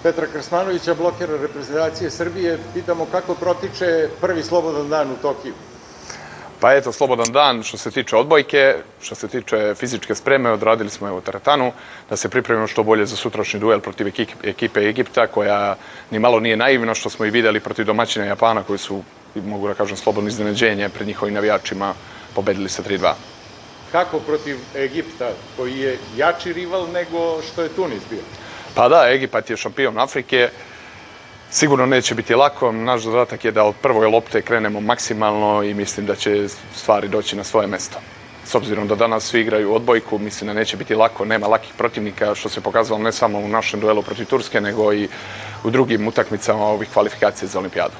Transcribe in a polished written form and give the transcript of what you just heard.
Petra Krsmanovića, blokera reprezentacije Srbije. Pitamo kako protiče prvi slobodan dan u Tokiju. Pa eto, slobodan dan što se tiče odbojke, što se tiče fizičke spreme, odradili smo teretanu, da se pripremimo što bolje za sutrašnji duel protiv ekipe Egipta, koja ni malo nije naivna, što smo i videli protiv domaćina Japana, koji su, mogu da kažem, slobodno iznenađenje pred njihovim navijačima, pobedili sa 3-2. Kako protiv Egipta, koji je jači rival nego što je Tunis bio? Pa da, Egipat je šampion Afrike. Sigurno neće biti lako. Naš zadatak je da od prve lopte krenemo maksimalno i mislim da će stvari doći na svoje mesto. S obzirom da danas svi igraju odbojku, mislim da neće biti lako, nema lakih protivnika, što se pokazalo ne samo u našem duelu protiv Turske, nego i u drugim utakmicama ovih kvalifikacija za olimpijadu.